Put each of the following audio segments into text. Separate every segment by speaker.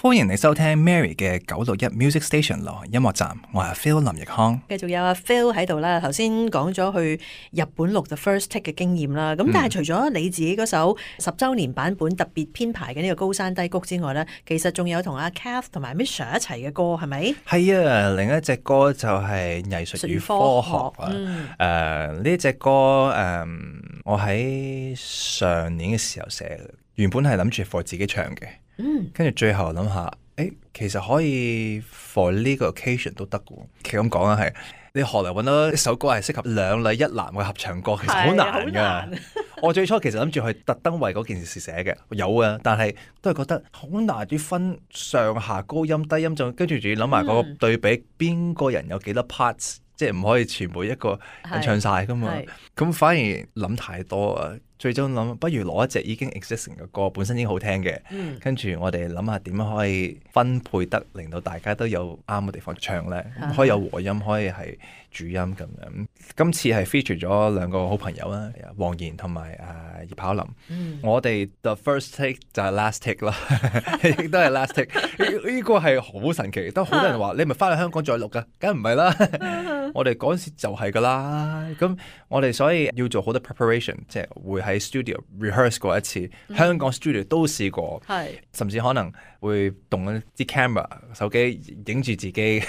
Speaker 1: 歡迎你收聽 Mary 嘅961 Music Station 流行音樂站，我係 Phil 林奕康。
Speaker 2: 繼續有阿 Phil 喺度啦，頭先講咗去日本錄 The First Take 嘅經驗啦。咁但係除咗你自己嗰首10週年版本特別編排嘅呢個高山低谷之外呢，其實仲有同阿 Kath 同埋 Misha 一齊嘅歌係咪？
Speaker 1: 係啊，另一隻歌就係藝術與科學啊。呢隻歌我喺上年嘅時候寫嘅，原本係諗住 for 自己唱嘅。跟住最後諗下，其實可以 for 呢個 occasion 都得嘅。其實咁講啊，係你何來揾到一首歌係適合兩女一男嘅合唱歌，其實好難㗎。我最初其實諗住去特登為嗰件事寫嘅，有啊，但係都係覺得好難啲分上下高音低音，就跟住仲要諗埋嗰個對比，邊個人有幾多 parts，即係唔可以全部一個人唱晒㗎嘛。咁反而諗太多啊。最終諗，不如攞一隻已經 existing 嘅歌，本身已經好聽嘅，跟住我哋諗下點樣可以分配得，令到大家都有啱嘅地方唱咧，可以有和音，可以係主音咁樣。今次係 feature 咗兩個好朋友啦，黃妍同埋葉巧琳。我哋 The First Take 就係 Last Take 啦，亦都係 Last Take。呢個係好神奇，都好多人話你咪翻去香港再錄噶，梗唔係啦。我哋嗰陣時就係噶啦，咁我哋所以要做好多 preparation， 即係會喺 studio rehearse 過一次，香港 studio 都試過，甚至可能會動一啲 camera 手機影住自己，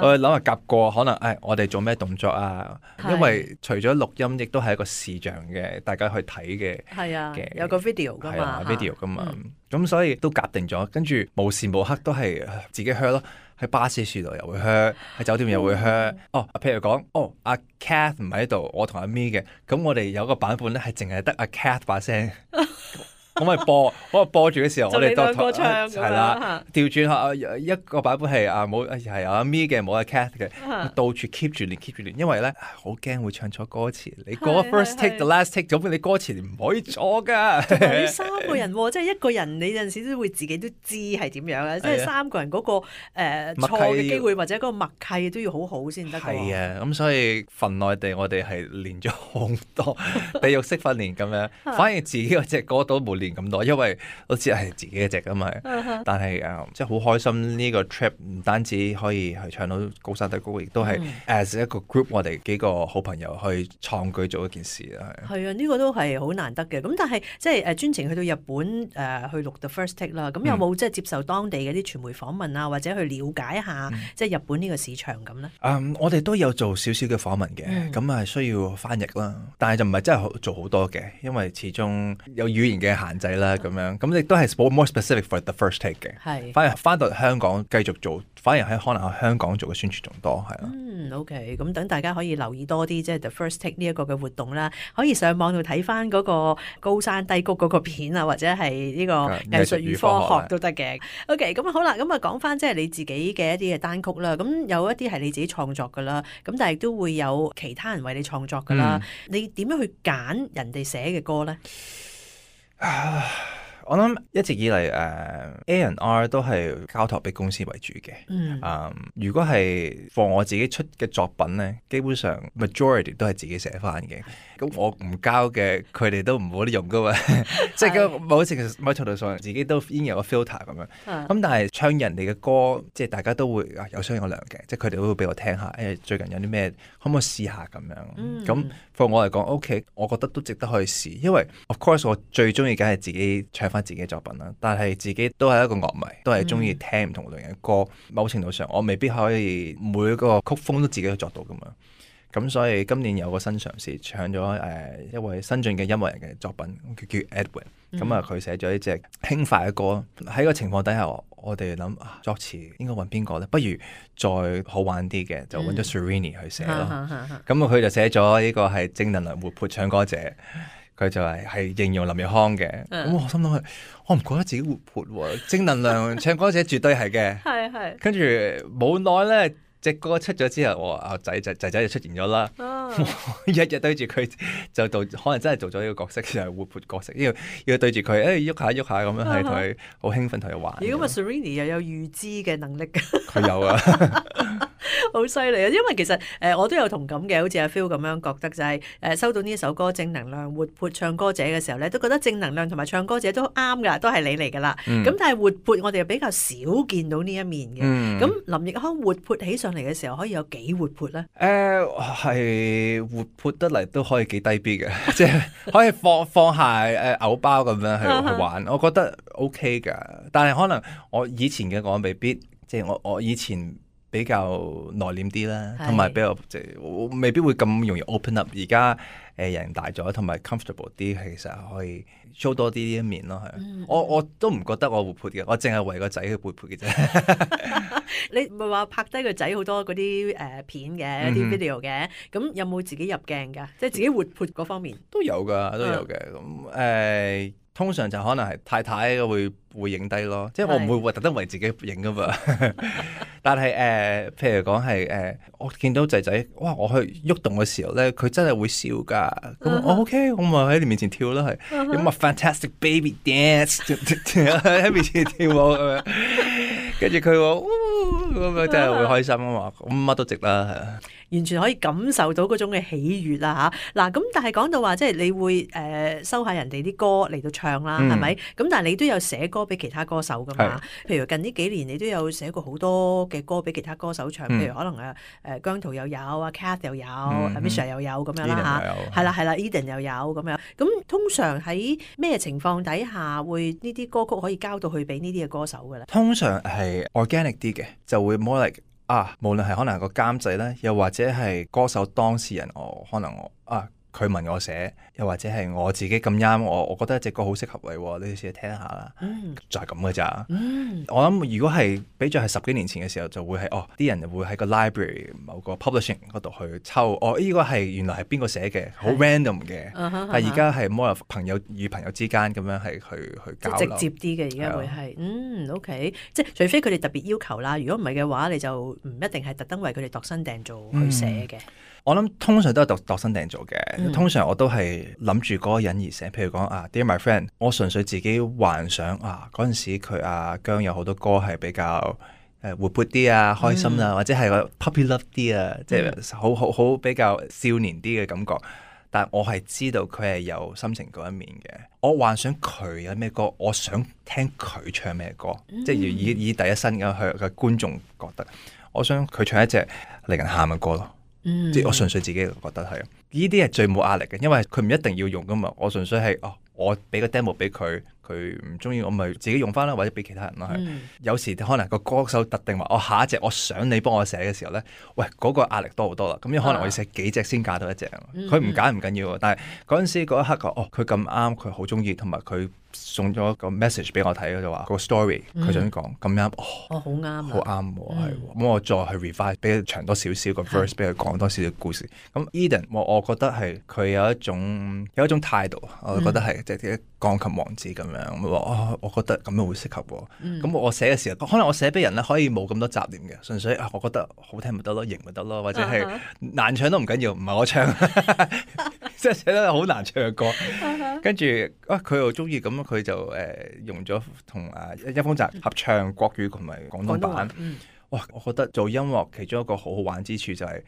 Speaker 1: 我諗下夾過，可能我哋做咩動作啊？因為除咗錄音，亦都係一個視像嘅，大家去睇嘅，
Speaker 2: 嘅有個 video 噶嘛
Speaker 1: ，video 噶嘛，咁所以都夾定咗，跟住無時無刻都係自己 hear 咯。喺巴士樹度又會 hear， 喺酒店又會 hear。譬如講，阿 Kath 唔喺度，我同阿 Mi 嘅，咁我哋有個版本咧係淨係得阿 Kath 把聲。我咪播住嘅時候，我哋都唱係啦，調轉下一個版本係冇係阿 Mi 嘅，冇阿 Kath 嘅，到處 keep 住練，因為咧好驚會唱錯歌詞。你個 first take 就 last take，咁你歌詞唔可以錯噶。
Speaker 2: 同埋要三個人，即係一個人你有陣時都會自己都知係點樣嘅，即係三個人嗰個錯嘅機會或者嗰個默契都要好好先得。
Speaker 1: 係啊，咁所以份內地我哋係練咗好多地獄式訓練咁樣，反而自己嗰隻歌都冇練咁多，因為好似係自己一隻咁嘛。但係即係好開心呢個 trip， 唔單止可以去唱到高山低谷，亦都係 as 一個 group， 我哋幾個好朋友去創舉做一件事啦。
Speaker 2: 係啊，呢個都係好難得嘅。咁但係即係專程去到日本去錄 The First Take 啦。咁有冇即係接受當地嘅啲傳媒訪問啊，或者去了解下即係日本呢個市場咁咧？
Speaker 1: 我哋都有做少少嘅訪問嘅，咁係需要翻譯啦，但係就唔係真係做好多嘅，因為始終有語言嘅限制啦，咁樣咁亦都係 more specific for The First Take 嘅。反而翻到香港繼續做，反而喺可能喺香港做嘅宣傳仲多，係咯。
Speaker 2: OK， 咁等大家可以留意多啲，即係 The First Take 呢一個嘅活動啦，可以上網度睇翻嗰個高山低谷嗰個片啊，或者係呢個藝術與科學都得嘅。OK， 咁好啦，咁啊講翻即係你自己嘅一啲嘅單曲啦，咁有一啲係你自己創作噶啦，咁但係都會有其他人為你創作噶啦，你點樣去揀人哋寫嘅歌咧？
Speaker 1: 我諗一直以嚟A&R 都係交託俾公司為主嘅。如果係放我自己出嘅作品咧，基本上 majority 都係自己寫翻嘅。咁我唔交嘅，佢哋都唔好用噶嘛。即係某程度上，自己都已經有個 filter 咁樣。咁但係唱人哋嘅歌，即係大家都會有商有量嘅。即係佢哋都會俾我聽下，最近有啲咩可唔可以試下咁樣。咁放我嚟講 OK， 我覺得都值得去試。因為 of course 我最中意梗係自己唱翻自己嘅作品啦。但係自己都係一個樂迷，都係中意聽唔同類型嘅歌。某程度上，我未必可以每一個曲風都自己去作到噶嘛。咁所以今年有個新嘗試，唱咗一位新晉嘅音樂人嘅作品，叫 Edwin。咁啊，佢寫咗一隻輕快嘅歌。喺個情況底下，我哋諗作詞應該揾邊個咧？不如再好玩啲嘅，就揾咗 Serrini 去寫咯。咁佢就寫咗呢個係正能量活潑唱歌者。佢就係形容林奕康嘅。咁我心諗我唔覺得自己活潑喎，正能量唱歌者絕對係嘅。跟住冇耐咧。隻歌出咗之後，我阿仔就出現咗啦。日日對住佢就可能真係做咗呢個角色，就係活潑角色。要對住佢，喐下咁樣，係同佢好興奮，同佢玩。
Speaker 2: 如果Serrini 又有預知嘅能力，
Speaker 1: 佢有啊。
Speaker 2: 好犀利啊！因為其實我都有同感嘅，好似阿 Phil 咁樣覺得就係收到呢一首歌正能量活潑唱歌者嘅時候咧，都覺得正能量同埋唱歌者都啱噶，都係你嚟噶啦。咁但係活潑我哋又比較少見到呢一面嘅。咁林奕匡活潑起上嚟嘅時候，可以有幾活潑咧？
Speaker 1: 係活潑得嚟都可以幾低 B 嘅，即係可以放下偶包咁樣去玩，我覺得 OK 噶。但係可能我以前嘅我未必，即係我以前比較內斂啲啦，同埋比較即係未必會咁容易 open up。而家人大咗，同埋 comfortable 啲，其實可以 show 多啲呢一面咯。係，我都唔覺得我活潑嘅，我淨係為個仔去活潑嘅啫。
Speaker 2: 你唔係話拍低個仔好多嗰啲片嘅一啲 video 嘅，咁有冇自己入鏡㗎？即係自己活潑嗰方面
Speaker 1: 都有㗎，都有嘅。咁通常就可能係太太會影低咯，即係我唔會特登為自己影噶嘛。但係譬如講係我見到仔仔，哇！我去喐動嘅時候咧，佢真係會笑㗎。咁我 OK，我咪喺你面前跳啦，係有乜 fantastic baby dance 喺面前跳舞咁樣。跟住佢話咁樣真係會開心啊嘛，咁乜都值啦，係啊。
Speaker 2: 完全可以感受到嗰種嘅喜悅啦嚇！嗱咁，但係講到話即係你會收下人哋啲歌嚟到唱啦，係咪？咁但係你都有寫歌俾其他歌手噶嘛？譬如近呢幾年你都有寫過好多嘅歌俾其他歌手唱，譬如可能姜濤又有，阿 Kath 又有，Misha 又有咁樣啦嚇，係啦 Eden 又有咁樣。咁通常喺咩情況底下會呢啲歌曲可以交到去俾呢啲嘅歌手嘅咧？
Speaker 1: 通常係 organic 啲嘅，就會 more like。無論係可能係個監製咧，又或者係歌手當事人，佢問我寫，又或者係我自己咁啱，我覺得隻歌好適合你，你試下聽下啦。就係咁嘅咋。我諗如果係比咗係10幾年前嘅時候，就會係啲人會喺個 library 某個 publishing 嗰度去抽，呢個係原來係邊個寫嘅，好 random 嘅。但係而家係 more of 朋友與朋友之間咁樣係去交流，
Speaker 2: 直接啲嘅。而家會係OK，即係除非佢哋特別要求啦，如果唔係嘅話，你就唔一定係特登為佢哋度身訂造去寫嘅。
Speaker 1: 我諗通常都係度身訂造嘅，通常我都係諗住嗰個人而寫。譬如講Dear My Friend， 我純粹自己幻想嗰陣時佢姜有好多歌係比較活潑啲啊，開心啊，或者係個 puppy love 啲啊，即係好比較少年啲嘅感覺。但我係知道佢係有心情嗰一面嘅。我幻想佢有咩歌，我想聽佢唱咩歌，即係以第一身嘅去嘅觀眾覺得，我想佢唱一隻令人喊嘅歌咯。即係我純粹自己覺得係，呢啲係最冇壓力嘅，因為佢唔一定要用噶嘛。我純粹係我俾個 demo 俾佢，佢唔中意我咪自己用翻啦，或者俾其他人咯。有時可能個歌手特定話下一隻我想你幫我寫嘅時候咧，喂嗰個壓力多好多啦。咁可能我要寫幾隻先揀到一隻，佢唔揀唔緊要，但係嗰陣時嗰一刻佢咁啱，佢好中意，同埋佢送咗個 message 俾我睇，就話個 story 佢想講咁啱，
Speaker 2: 好啱，
Speaker 1: 好啱喎，咁我再去 revise 俾佢長多少少個 verse， 俾佢講多少少故事。咁 Eden 我覺得係佢有一種態度，我覺得係即係鋼琴王子咁樣，我覺得咁樣會適合喎。咁我寫嘅時候，可能我寫俾人咧可以冇咁多雜念嘅，純粹我覺得好聽咪得咯，型咪得咯，或者係難唱都唔緊要，唔係我唱，即係寫得好難唱嘅歌。跟住佢又中意咁，佢就用咗同一封澤合唱國語同埋廣東版。哇！我覺得做音樂其中一個好好玩之處就係，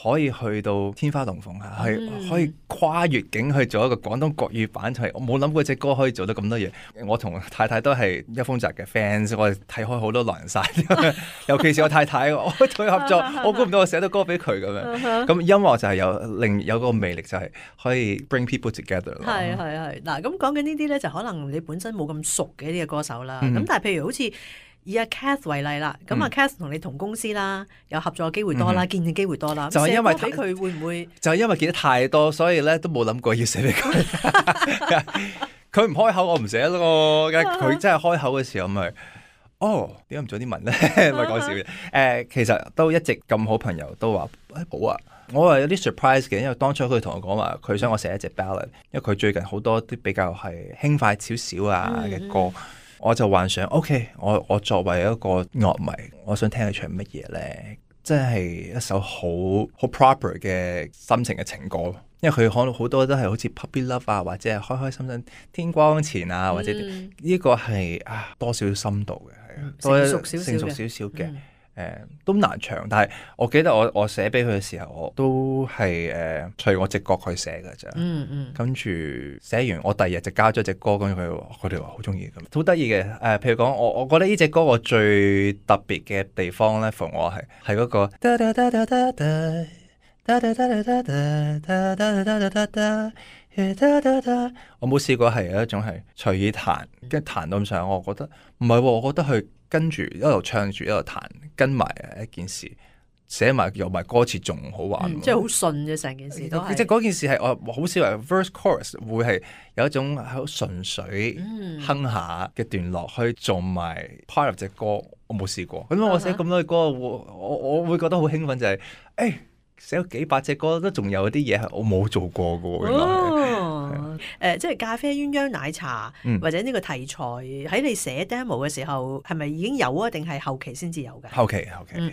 Speaker 1: 可以去到天花龍鳳啊，係可以跨越境去做一個廣東國語版，係我冇諗過隻歌可以做到咁多嘢。我同太太都係一封澤嘅 fans， 我哋睇開好多狼人殺，尤其是我太太，我同佢合作，我估唔到我寫到歌俾佢咁樣。咁音樂就係有個魅力，就係可以 bring people together 咯。
Speaker 2: 係嗱，咁講緊呢啲咧，就可能你本身冇咁熟嘅呢個歌手啦。咁但係譬如好似以阿 Kath 為例啦，咁阿 Kath 同你同公司啦，有合作機會多啦，見嘅機會多啦。就係因為俾佢會唔會？就係
Speaker 1: 因為見得太多，所以咧都冇諗過要寫俾佢。佢唔開口，我唔寫咯。佢真係開口嘅時候，咪點解唔早啲問咧？咪講笑嘅。其實都一直咁好朋友都話好啊。我係有啲 surprise 嘅，因為當初佢同我講話，佢想我寫一隻 ballad，因為佢最近好多啲比較係輕快少少嘅歌。我就幻想 OK， 我作為一個樂迷，我想聽佢唱乜嘢咧？即係一首好 proper 嘅心情嘅情歌，因為佢可能好多都係好似 puppy love 啊，或者係開開心心天光前啊，或者呢個係多少少深度嘅，係成熟少少嘅。都難唱，但係我記得我寫俾佢嘅時候，我都係隨我直覺去寫㗎咋。跟住寫完，我第二日就交咗隻歌，跟住佢哋話好中意咁，好得意嘅。譬如講我覺得呢隻歌我最特別嘅地方咧，同我係嗰個。我冇試過係有一種係隨意彈，跟住彈到咁上，我覺得唔係喎，我覺得佢跟住一路唱住一路彈，跟埋一件事，寫埋又埋歌詞仲好玩，
Speaker 2: 即係好順嘅成件事都係。
Speaker 1: 即係嗰件事係我好少話 verse chorus 會係有一種好純粹哼下嘅段落去做埋 part of 隻歌，我冇試過。咁我寫咁多嘅歌，我會覺得好興奮，就係寫咗幾百隻歌都仲有啲嘢係我冇做過嘅。
Speaker 2: 即係咖啡鴛鴦奶茶，或者呢個題材喺你寫 demo 嘅時候係咪已經有啊？定係後期先至有嘅？
Speaker 1: 後期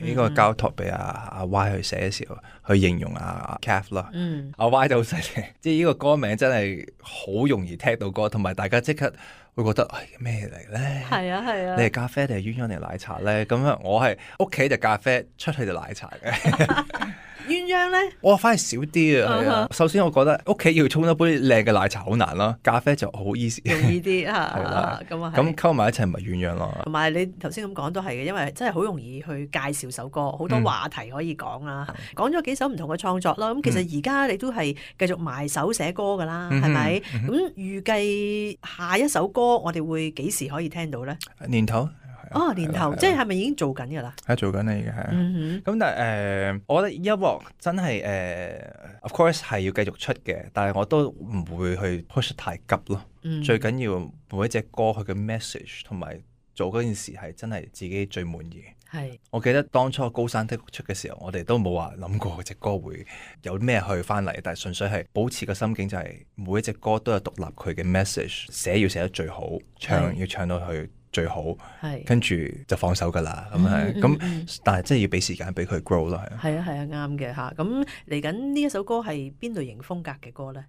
Speaker 1: 呢個交託俾阿 Y 去寫嘅時候，去形容阿 Cath 啦。阿 Y 就好犀利，即係呢個歌名真係好容易聽到歌，同埋大家即刻會覺得咩嚟咧？係啊！你係咖啡定係鴛鴦定係奶茶咧？咁啊，我係屋企就咖啡，出去就奶茶嘅。
Speaker 2: 鴛鴦咧，
Speaker 1: 我反而少啲啊。首先，我覺得屋企要沖一杯靚嘅奶茶好難啦，咖啡就好 easy，
Speaker 2: 容易啲嚇。
Speaker 1: 咁溝埋一齊咪鴛鴦咯。
Speaker 2: 同埋你頭先咁講都係嘅，因為真係好容易去介紹首歌，好多話題可以講啦。講咗幾首唔同嘅創作啦，咁其實而家你都係繼續埋手寫歌㗎啦，係咪？咁預計下一首歌我哋會幾時可以聽到咧？
Speaker 1: 年頭。
Speaker 2: 年頭即係咪已經做緊㗎啦？
Speaker 1: 係做緊啦，已經係。咁但係我覺得音樂真係of course 係要繼續出嘅，但係我都唔會去 push 太急咯。最緊要每一隻歌佢嘅 message 同埋做嗰件事係真係自己最滿意。係。我記得當初高山低谷出嘅時候，我哋都冇話諗過隻歌會有咩去翻嚟，但係純粹係保持個心境就係每一隻歌都有獨立佢嘅 message， 寫要寫得最好，唱要唱到去最好，跟住就放手㗎啦，咁但係真係要俾時間俾佢 grow 咯，
Speaker 2: 係啊，啱嘅嚇。咁嚟緊呢一首歌係邊類型風格嘅歌咧？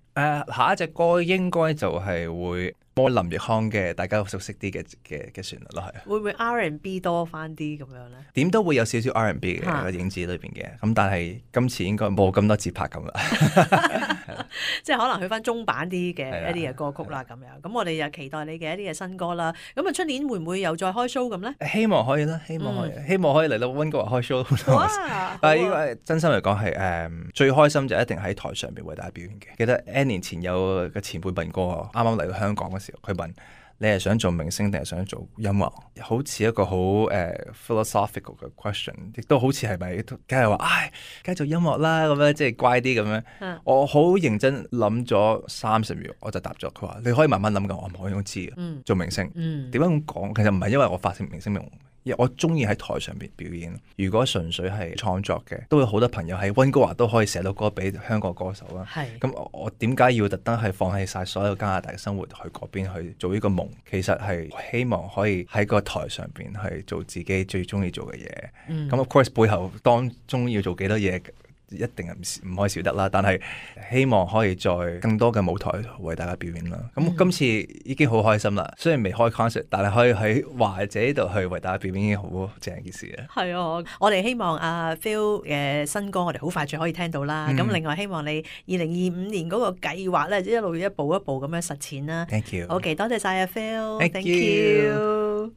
Speaker 1: 下一隻歌應該就係會播林奕匡嘅，大家熟悉啲嘅旋律咯，係。會唔會 R&B 多翻啲咁樣咧？點都會有少少 R&B 嘅影子裏邊嘅，咁但係今次應該冇咁多節拍咁啦。即係可能去翻中版啲嘅一啲嘅歌曲啦，咁樣。咁我哋又期待你嘅一啲嘅新歌啦。咁啊，出年會唔會又再開 show 咁咧？希望可以啦，希望可以嚟到溫哥華開 show。但係呢個真心嚟講係最開心就一定喺台上邊為大家表演嘅。記得 N 年前有個前輩問過我，啱啱嚟到香港嘅時候，佢問你係想做明星定係想做音樂？好似一個好philosophical 嘅 question， 亦都好似係咪梗係話梗係做音樂啦咁樣，即係乖啲咁樣。我好認真諗咗30秒，我就答咗佢話：你可以慢慢諗㗎，我唔可以知嘅。做明星點解咁講？其實唔係因為我發成明星夢。我中意喺台上邊表演。如果純粹係創作嘅，都有好多朋友喺溫哥華都可以寫到歌俾香港歌手啦。咁我點解要特登係放棄晒所有加拿大嘅生活去嗰邊去做呢個夢？其實係希望可以喺個台上邊去做自己最中意做嘅嘢。咁 of course 背後當中要做幾多嘢，一定係唔可以少得啦，但係希望可以再更多嘅舞台為大家表演啦。咁今次已經好開心啦，雖然未開 concert， 但係可以喺華姐呢度去為大家表演已經好正一件事啦。係啊，我哋希望阿 Phil 嘅新歌我哋好快就可以聽到啦。咁另外希望你2025年嗰個計劃咧，一路一步一步咁樣實踐啦。Thank you。OK，多謝晒阿 Phil。Thank you。